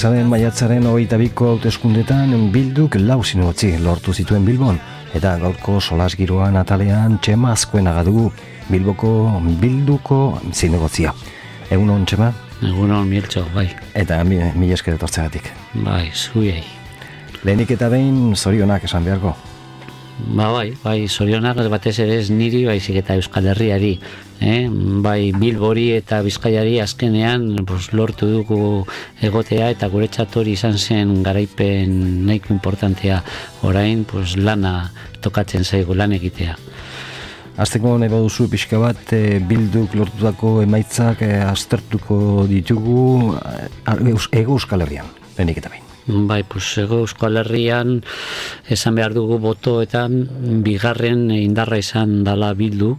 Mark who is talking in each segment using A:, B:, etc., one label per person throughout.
A: Pasaden maiatzaren 22ko hauteskundetan Bilduk 4 zinegotzi lortu zituen Bilbon, eta gaurko solasgiroan atalean Txema Azkuenaga dugu, Bilduko zinegotzia. Egunon, Txema?
B: Egunon, Miltxo, bai.
A: Eta mila esker etortzeagatik.
B: Bai, zuiei.
A: Lehenik eta behin zorionak esan beharko.
B: Bai, zorionak batez ere ez niri, baizik eta Euskal Herriari. Bai, Bilbori eta Bizkaiari azkenean lortu dugu egotea, eta guretzat hori izan zen garaipen nahiko importantea. Orain lana tokatzen zaigu, lan egitea.
A: Azteko nahi baduzu pixka bat Bilduk lortutako emaitzak aztertuko ditugu Hego Euskal Herrian, lehenik eta behin.
B: Bai, Hego Euskal Herrian esan behar dugu botoetan bigarren indarra izan dala Bildu,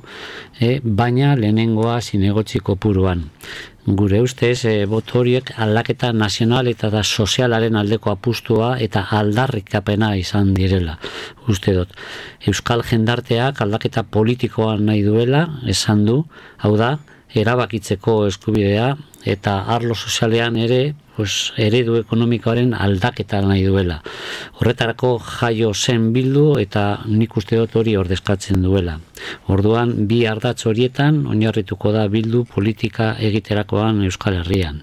B: baina lehenengoa zinegotzi kopuruan. Gure ustez, boto horiek aldaketa nazional eta sozialaren aldeko apustua eta aldarrikapena izan direla, uste dut. Euskal jendarteak aldaketa politikoa nahi duela, esan du, hau da, erabakitzeko eskubidea, eta arlo sozialean ere, eredu ekonomikoaren aldaketa nahi duela. Horretarako jaio zen Bildu eta nik uste dut hori ordezkatzen duela. Orduan, bi ardatz horietan oinarrituko da Bildu politika egiterakoan Euskal Herrian.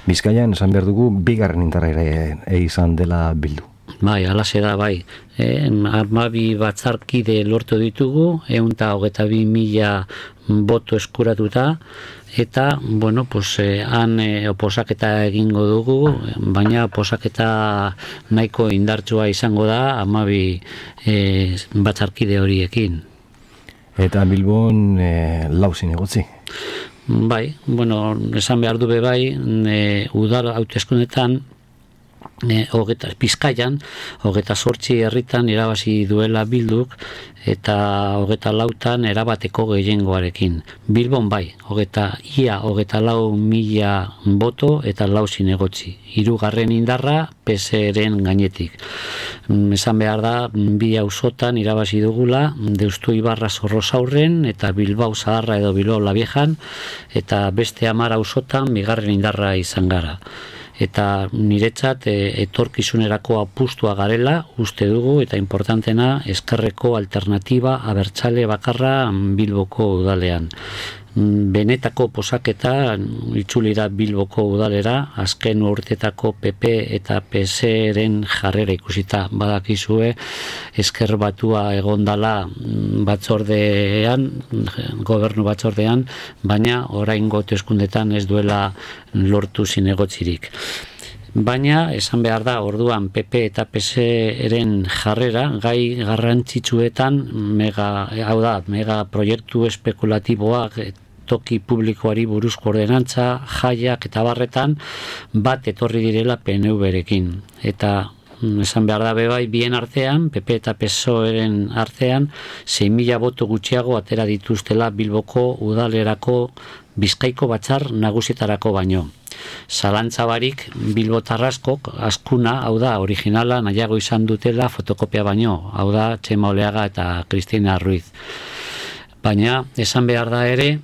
A: Bizkaian esan behar dugu bigarren indarra ere izan dela Bildu.
B: Bai, alaxe da, bai. 12 batzarkide lortu ditugu, 122.000 boto eskuratuta, eta, han oposaketa egingo dugu, baina oposaketa nahiko indartsua izango da 12 batzarkide horiekin. Eta
A: Bilbon 4 zinegotzi.
B: Bai, esan behar du bai, udal hauteskundetan, Bizkaian, 28 herritan irabazi duela Bilduk, eta 24 erabateko gehiengoarekin. Bilbon bai, ia 24.000 boto eta 4 zinegotzi. 3. indarra PSeren gainetik. Esan behar da, 2 auzotan irabazi dugula, Deustu Ibarra Zorrozaurren eta Bilbao Zaharra edo Bilbao Labiejan, eta beste 10 auzotan bigarren indarra izan gara. Eta niretzat etorkizunerako apustua garela uste dugu, eta importantena ezkerreko alternatiba abertzale bakarra Bilboko udalean. Benetako posaketa itzulira Bilboko udalera, azken urtetako PP eta PSeren jarrera ikusita. Badakizue ezker batua egondala batzordean, gobernu batzordean, baina oraingo hauteskundetan ez duela lortu zinegotzirik. Baina, esan behar da, orduan PP eta PSeren jarrera, gai garrantzitsuetan, mega proiektu espekulatiboak, toki publikoari buruzko ordenantza, jaiak eta barretan, bat etorri direla PNV-rekin. Eta, esan behar da bai, bien artean, PP eta PSOeren artean, 6.000 boto gutxiago atera dituztela Bilboko udalerako Bizkaiko batzar nagusietarako baino. Zalantzabarik bilbotarraskok askuna, hau da, originala nahiago izan dutela fotokopia baino, hau da, Txema Oleaga eta Cristina Ruiz. Baina, esan behar da ere,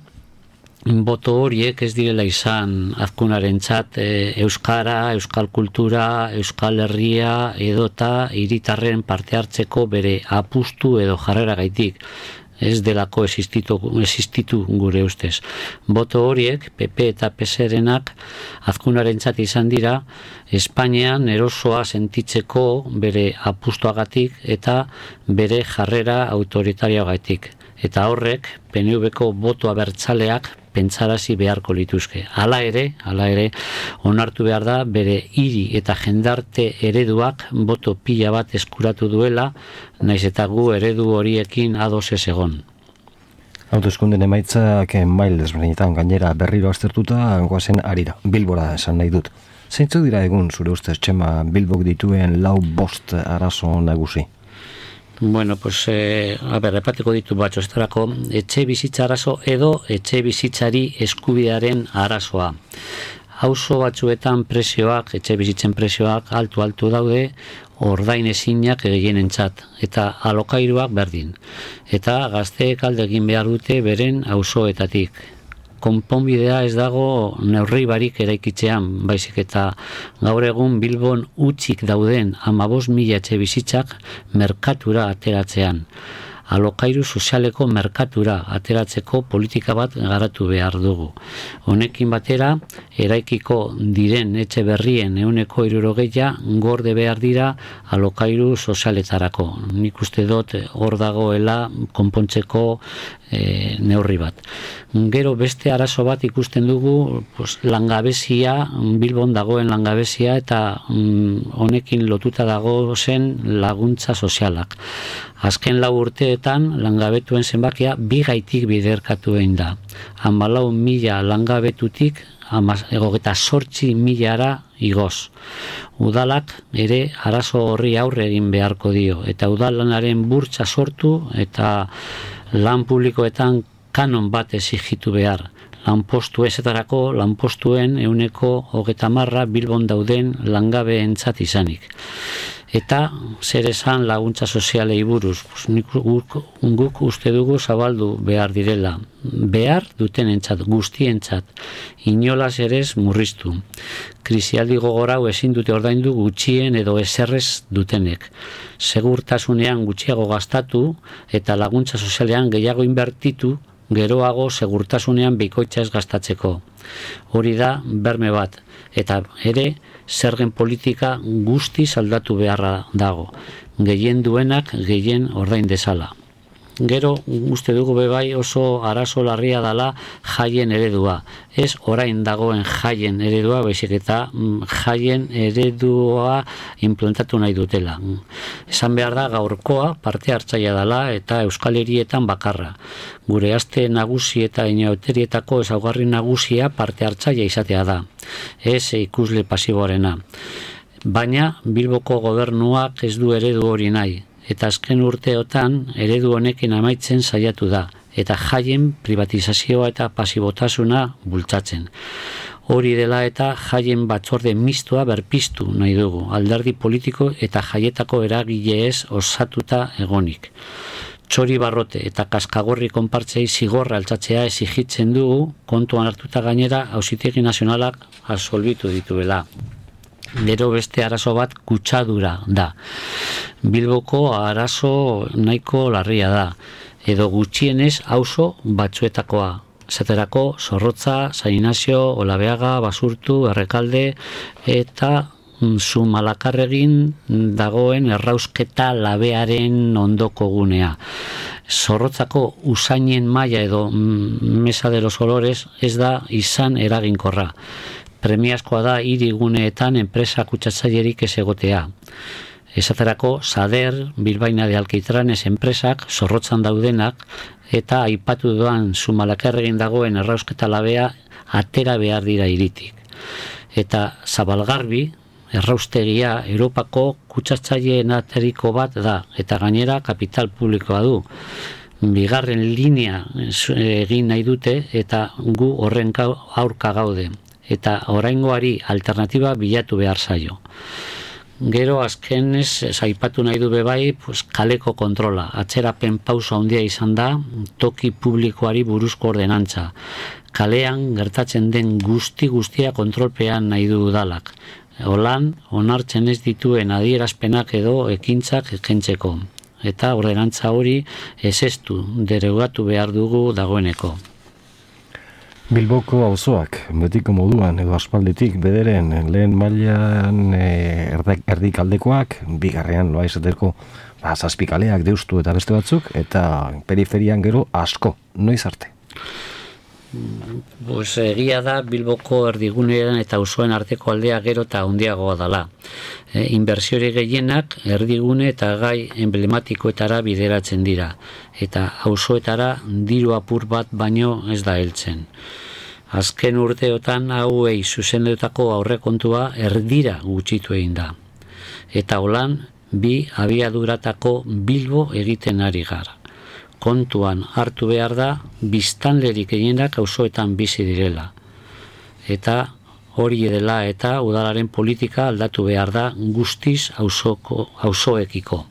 B: boto horiek ez direla izan Azkunarentzat euskara, euskal kultura, Euskal Herria edota hiritarren parte hartzeko bere apustu edo jarrera gaitik. Ez delako existitu gure ustez. Boto horiek, PP eta PSerenak Azkunarentzat izan dira, Espainian erosoa sentitzeko bere apustuagatik eta bere jarrera autoritarioagatik. Eta horrek, PNV-ko boto abertzaleak pentsarazi beharko lituzke. Hala ere, onartu behar da bere hiri eta jendarte ereduak boto pila bat eskuratu duela, naiz eta gu eredu horiekin ados ez egon.
A: Hauteskunden emaitzak mail desberdinetan gainera berriro aztertuta goazen harira, Bilbora esan nahi dut. Zeintzuk dira egun zure ustez, Txema, Bilbok dituen 4-5 arazo nagusi?
B: Repatiko ditu batxo, estarako etxe bizitza arazo edo etxe bizitzari eskubidearen arazoa. Auzo batzuetan presioak, etxe bizitzen presioak altu daude, ordain ezinak gehienentzat, eta alokairuak berdin. Eta gazteek alde egin behar dute beren auzoetatik. konponbidea ez dago neurri barik eraikitzean, baizik eta gaur egun Bilbon utzik dauden 15.000 etxe bizitzak merkatura ateratzean. Alokairu sozialeko merkatura ateratzeko politika bat garatu behar dugu. Honekin batera, eraikiko diren etxe berrien 60% gorde behar dira alokairu sozialetarako. Nik uste dut hor dagoela konpontzeko neurri bat. Gero beste arazo bat ikusten dugu langabezia, Bilbon dagoen langabezia eta honekin lotuta dago zen laguntza sozialak. Azken 4 urteetan langabetuen zenbakia 2 gaitik biderkatu egin da. 14.000 langabetutik 28.000 igoz. Udalak ere arazo horri aurre egin beharko dio eta udalanaren burtsa sortu eta lan publikoetan kanon bat exigitu behar. Lanpostu ezetarako lanpostuen 30% Bilbon dauden langabeentzat izanik. Eta zer esan laguntza sozialei buruz, guk uste dugu zabaldu behar direla. Behar dutenentzat, guztientzat, inolaz ere ez murriztu. Krisialdi gogor hau ezin dute ordaindu gutxien edo eserrez dutenek. Segurtasunean gutxiago gastatu eta laguntza sozialean gehiago inbertitu, geroago segurtasunean bikoitza ez gastatzeko. Hori da berme bat, eta ere zergen politika guztiz aldatu beharra dago. Gehien duenak gehien ordain dezala. Gero uste dugu bebai oso arazo larria dela jaien eredua. Ez orain dagoen jaien eredua, baizik eta jaien eredua implantatu nahi dutela. Esan behar da gaurkoa parte hartzaia dela eta Euskal Herrietan bakarra. Gure aste nagusi eta inauterietako ezaugarri nagusia parte hartzaia izatea da. Ez ikusle pasiboarena. Baina Bilboko gobernuak ez du eredu hori nahi. Eta azken urteotan eredu honekin amaitzen saiatu da, eta jaien privatizazioa eta pasibotasuna bultzatzen. Hori dela eta jaien batzorde mistoa berpiztu nahi dugu, alderdi politiko eta jaietako eragileez osatuta egonik. Txori barrote eta kaskagorri konpartzei zigorra altzatzea exigitzen dugu, kontuan hartuta gainera Auzitegi Nazionalak absolbitu dituela. Gero beste arazo bat kutsadura da. Bilboko arazo nahiko larria da, edo gutxienez auzo batzuetakoa. Zaterako Zorrotza, San Inazio, Olabeaga, Basurtu, Errekalde eta Zumalakarregin dagoen errausketa labearen ondoko gunea. Zorrotzako usainen maila edo Mesa de los Olores ez da izan eraginkorra. Premiazkoa da hiriguneetan enpresa kutsatzailerik ez egotea. Esaterako Sader, Bilbaina de Alquitranes enpresak Zorrotzan daudenak eta aipatu doan Zumalakarregin dagoen errausketa labea atera behar dira hiritik. Eta Zabalgarbi erraustegia Europako kutsatzaileenateriko bat da eta gainera kapital publikoa du. Bigarren linea egin nahi dute eta gu horren aurka gaude. Eta oraingoari alternatiba bilatu behar zaio. Gero azkenez aipatu nahi du bebai kaleko kontrola. Atzerapen pauso handia izan da toki publikoari buruzko ordenantza. Kalean gertatzen den guztia kontrolpean nahi du udalak. Holan onartzen ez dituen adierazpenak edo ekintzak kentzeko. Eta ordenantza hori ezestu derogatu behar dugu dagoeneko.
A: Bilboko auzoak, betiko moduan edo aspalditik bederen lehen mailan erdikaldekoak, bigarrean loa izateko zazpikaleak deustu eta beste batzuk, eta periferian gero asko, noiz arte?
B: Egia da Bilboko erdigunean eta auzoen arteko aldea gero eta handiagoa dela. Inbertsiore gehienak erdigune eta gai emblematikoetara bideratzen dira, eta auzoetara diru apur bat baino ez da heltzen. Azken urteotan hauei zuzendutako aurrekontua erdira gutxitu egin da. Eta holan, 2 abiaduratako Bilbo egiten ari gara. Kontuan hartu behar da, biztanlerik gehienak auzoetan bizi direla. Eta hori dela eta udalaren politika aldatu behar da guztiz auzoekiko.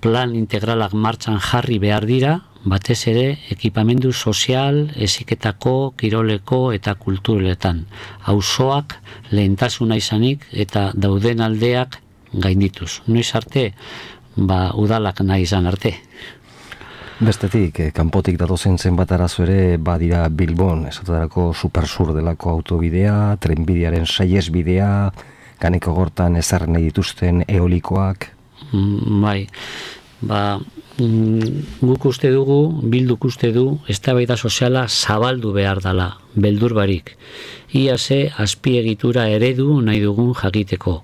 B: plan integralak martxan jarri behar dira, batez ere ekipamendu sozial, heziketako, kiroleko eta kulturetan. Auzoak lehentasuna izanik eta dauden aldeak gaindituz. Noiz arte, udalak nahi izan arte.
A: Bestetik, kanpotik datozen zenbat arazo ere badira Bilbon, esaterako Supersur delako autobidea, trenbidearen saihesbidea, Kaneko Gortan ezar nahi dituzten eolikoak.
B: Bai, guk uste dugu, Bilduk uste du, eztabaida soziala zabaldu behar dela, beldur barik. Ia ze azpiegitura eredu nahi dugun jakiteko.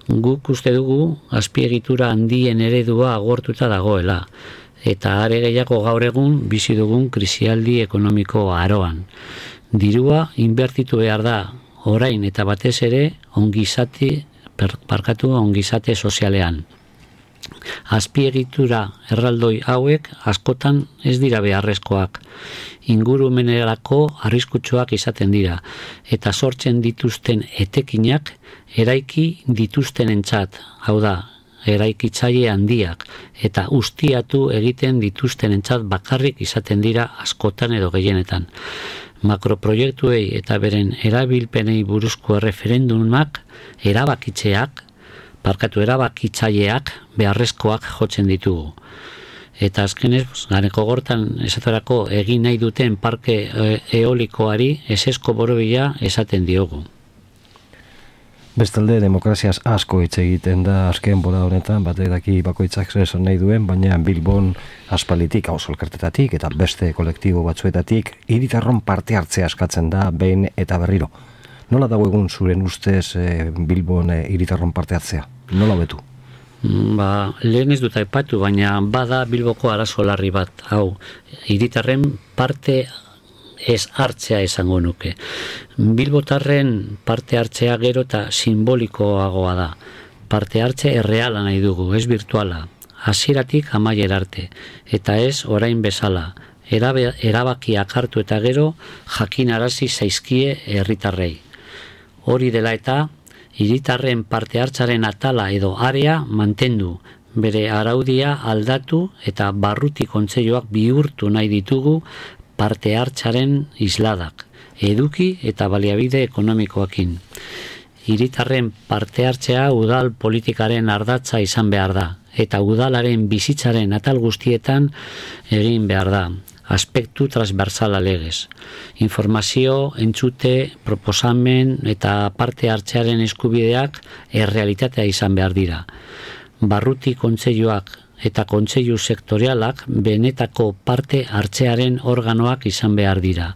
B: Guk uste dugu, azpiegitura handien eredua agortuta dagoela. Eta are gehiago gaur egun bizi dugun krisialdi ekonomiko aroan. Dirua inbertitu behar da orain eta batez ere ongizate sozialean. Azpiegitura erraldoi hauek askotan ez dira beharrezkoak. Ingurumenerako arriskutsuak izaten dira eta sortzen dituzten etekinak eraiki dituztenentzat, hau da, eraikitzaile handiak eta ustiatu egiten dituztenentzat bakarrik izaten dira askotan edo gehienetan. Makroproiektuei eta beren erabilpenei buruzko erreferendumak erabakitzaileak beharrezkoak jotzen ditugu. Eta azkenez, Kaneko Gortan esaterako egin nahi duten parke eolikoari ezezko borobila esaten diogu.
A: Bestalde, demokraziaz asko hitz egiten da azken bora honetan, batek daki bakoitzak esan nahi duen, baina Bilbon aspalitik, auzo elkartetatik eta beste kolektibo batzuetatik hiritarron parte hartzea eskatzen da behin eta berriro. Nola dago egun zuren ustez Bilbon hiritarron parte hartzea? Nola hobetu?
B: Lehen ez dut aipatu, baina bada Bilboko arazo larri bat, hau, hiritarren parte ez hartzea esango nuke. Bilbotarren parte hartzea gero eta simbolikoagoa da. Parte hartze erreala nahi dugu, ez virtuala. Hasieratik amaiera arte, eta ez orain bezala. Erabakiak hartu eta gero jakinarazi zaizkie herritarrei. Hori dela eta hiritarren parte hartzaren atala edo area mantendu, bere araudia aldatu eta barruti kontseiluak bihurtu nahi ditugu parte hartzaren isladak, eduki eta baliabide ekonomikoakin. Hiritarren parte hartzea udal politikaren ardatza izan behar da, eta udalaren bizitzaren atal guztietan egin behar da, aspektu transversala legez. Informazio, entzute, proposamen eta parte hartzearen eskubideak errealitatea izan behar dira. Barruti kontseiluak eta kontseilu sektorialak benetako parte hartzearen organoak izan behar dira.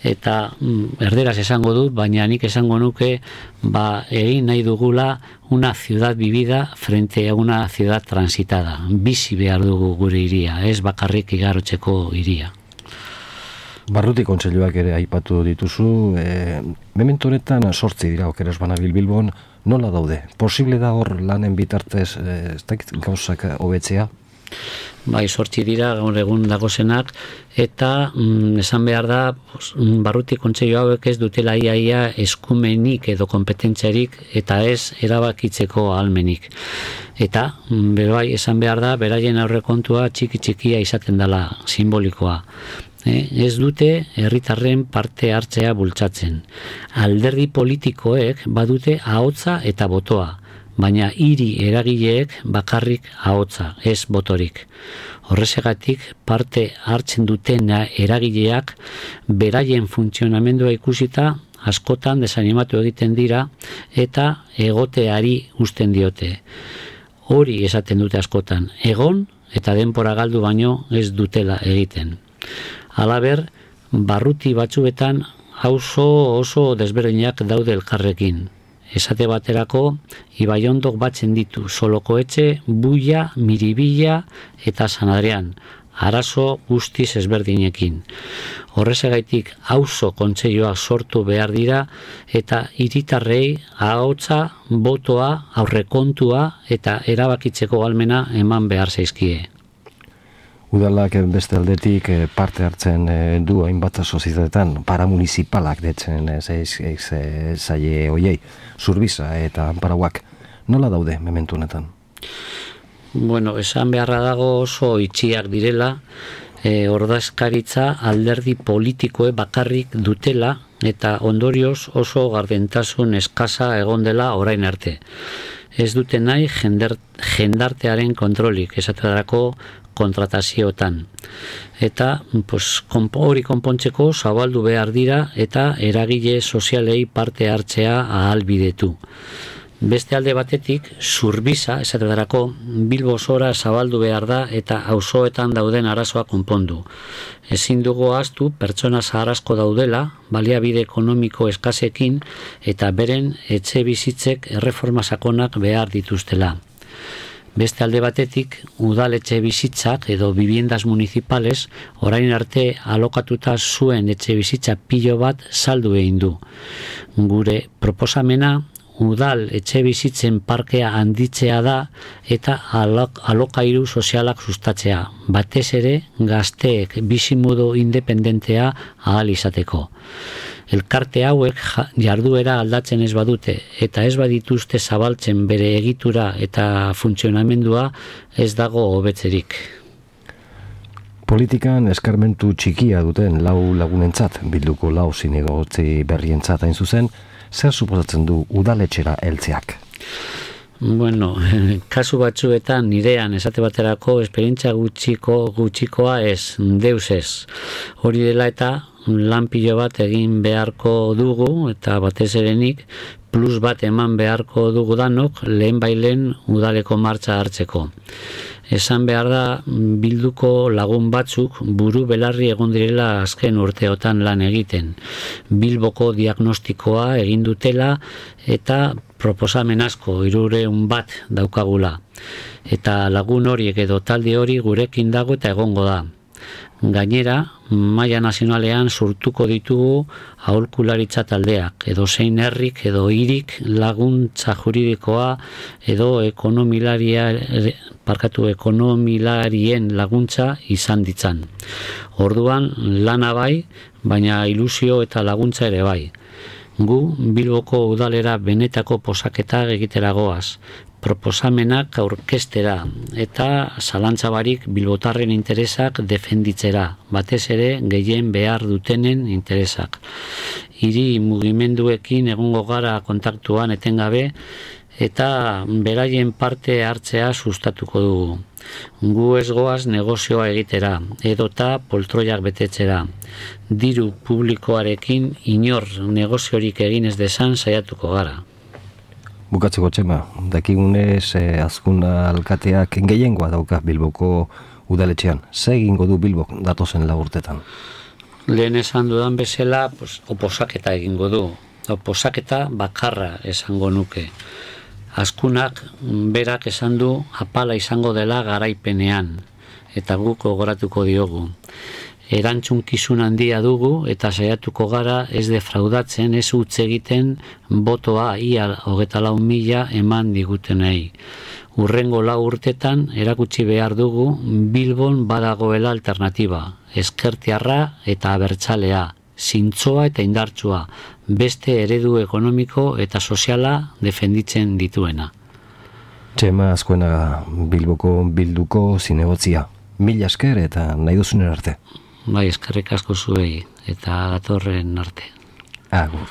B: Eta erderaz esango dut, baina nik esango nuke egin nahi dugula una ciudad vivida frente a una ciudad transitada. Bizi behar dugu gure hiria, ez bakarrik igarotzeko hiria.
A: Barruti kontseiluak ere aipatu dituzu, memento honetan 8 dira okeres banabil Bilbon, nola daude? Posible da hor lanen bitartez ez dakit gauzak hobetzea?
B: Bai, 8 dira gaur egun dagozenak, eta esan behar da barruti kontseilu hauek ez dutela ia eskumenik edo kompetentziarik eta ez erabakitzeko ahalmenik. Eta bai, esan behar da beraien aurrekontua txikia izaten dela, simbolikoa. Ez dute herritarren parte hartzea bultzatzen. Alderdi politikoek badute ahotsa eta botoa, baina hiri eragileek bakarrik ahotsa, ez botorik. Horrexegatik parte hartzen duten eragileak beraien funtzionamendua ikusita askotan desanimatu egiten dira eta egoteari uzten diote. Hori esaten dute askotan, egon eta denbora galdu baino ez dutela egiten. Halaber, barruti batzuetan oso desberdinak daude elkarrekin. Esate baterako, Ibaiondok batzen ditu Solokoetxe, Buia, Miribilla eta San Adrian, arazo guztiz ezberdinekin. Horrezagaitik auzo kontseiluak sortu behar dira eta hiritarrei ahotsa, botoa, aurrekontua eta erabakitzeko ahalmena eman behar zaizkie.
A: Udalak beste aldetik parte hartzen du hainbat sozietetan, paramunicipalak detzen zaie hoiei, Zurbiza eta Anparauak. Nola daude momentu honetan?
B: Bueno, esan beharra dago oso itxiak direla, ordezkaritza alderdi politikoe bakarrik dutela eta ondorioz oso gardentasun eskasa egon dela orain arte. Ez dute nahi jendartearen kontrolik, esaterako kontratazioetan. Eta hori konpontzeko zabaldu behar dira eta eragile sozialei parte hartzea ahalbidetu. Beste alde batetik, Zurbiza, esaterako, Bilbo osora zabaldu behar da eta auzoetan dauden arazoa konpondu. Ezin dugu ahaztu pertsona zahar asko daudela, baliabide ekonomiko eskasekin eta beren etxe bizitzek erreforma sakonak behar dituztela. Beste alde batetik, udaletxe bizitzak edo viviendas municipales orain arte alokatuta zuen etxe bizitza pilo bat saldu egin du. Gure proposamena udal etxe bizitzen parkea handitzea da eta alokairu sozialak sustatzea, batez ere gazteek bizimodu independentea ahal izateko. Elkarte hauek jarduera aldatzen ez badute eta ez badituzte zabaltzen bere egitura eta funtzionamendua ez dago hobetzerik.
A: Politikan eskarmentu txikia duten lau lagunentzat, Bilduko lau zinegotzi berrientzat hain zuzen, zer suposatzen du udaletxera heltzeak?
B: Bueno, kasu batzuetan nirean esate baterako esperientzia gutxikoa ez, deus ez. Hori dela eta lan pilo bat egin beharko dugu eta batez erenik plus bat eman beharko dugu danok lehen udaleko martxa hartzeko. Esan behar da Bilduko lagun batzuk buru belarri egon direla azken urteotan lan egiten. Bilboko diagnostikoa egin dutela eta proposamen asko 300 bat daukagula. Eta lagun horiek edo talde hori gurekin dago eta egongo da. Gainera, maila nazionalean sortuko ditugu aholkularitza taldeak, edo zein herrik edo hirik laguntza juridikoa edo ekonomilarien laguntza izan ditzan. Orduan lana bai, baina ilusio eta laguntza ere bai. Gu Bilboko udalera benetako posaketa egitera goaz, proposamenak aurkeztera eta zalantzabarik bilbotarren interesak defenditzera, batez ere gehien behar dutenen interesak. Hiri mugimenduekin egongo gara kontaktuan etengabe eta beraien parte hartzea sustatuko dugu. Gu ez goaz negozioa egitera, edota poltroiak betetzera. Diru publikoarekin inor negoziorik egin ez desan saiatuko gara.
A: Bukatzeko Txema, dakigunez azkuna alkateak gehiengoa dauka Bilboko udaletxean. Ze egingo du Bilbok datozen urtetan?
B: Lehen esan dudan bezala, oposaketa egingo du. Oposaketa bakarra esango nuke. Azkunak berak esan du apala izango dela garaipenean, eta guk gogoratuko diogu. Erantzunkizun handia dugu eta saiatuko gara ez defraudatzen, ez utz egiten botoa ia 24.000 eman digutenei. Hurrengo 4 urtetan erakutsi behar dugu Bilbon badagoela alternatiba, ezkertiarra eta abertzalea, zintzoa eta indartsua, beste eredu ekonomiko eta soziala defenditzen dituena.
A: Txema Azkuena, Bilboko Bilduko zinegotzia. Mila esker eta nahi duzunen arte.
B: Bai, eskerrik asko zuei eta datorren arte.
A: Agur.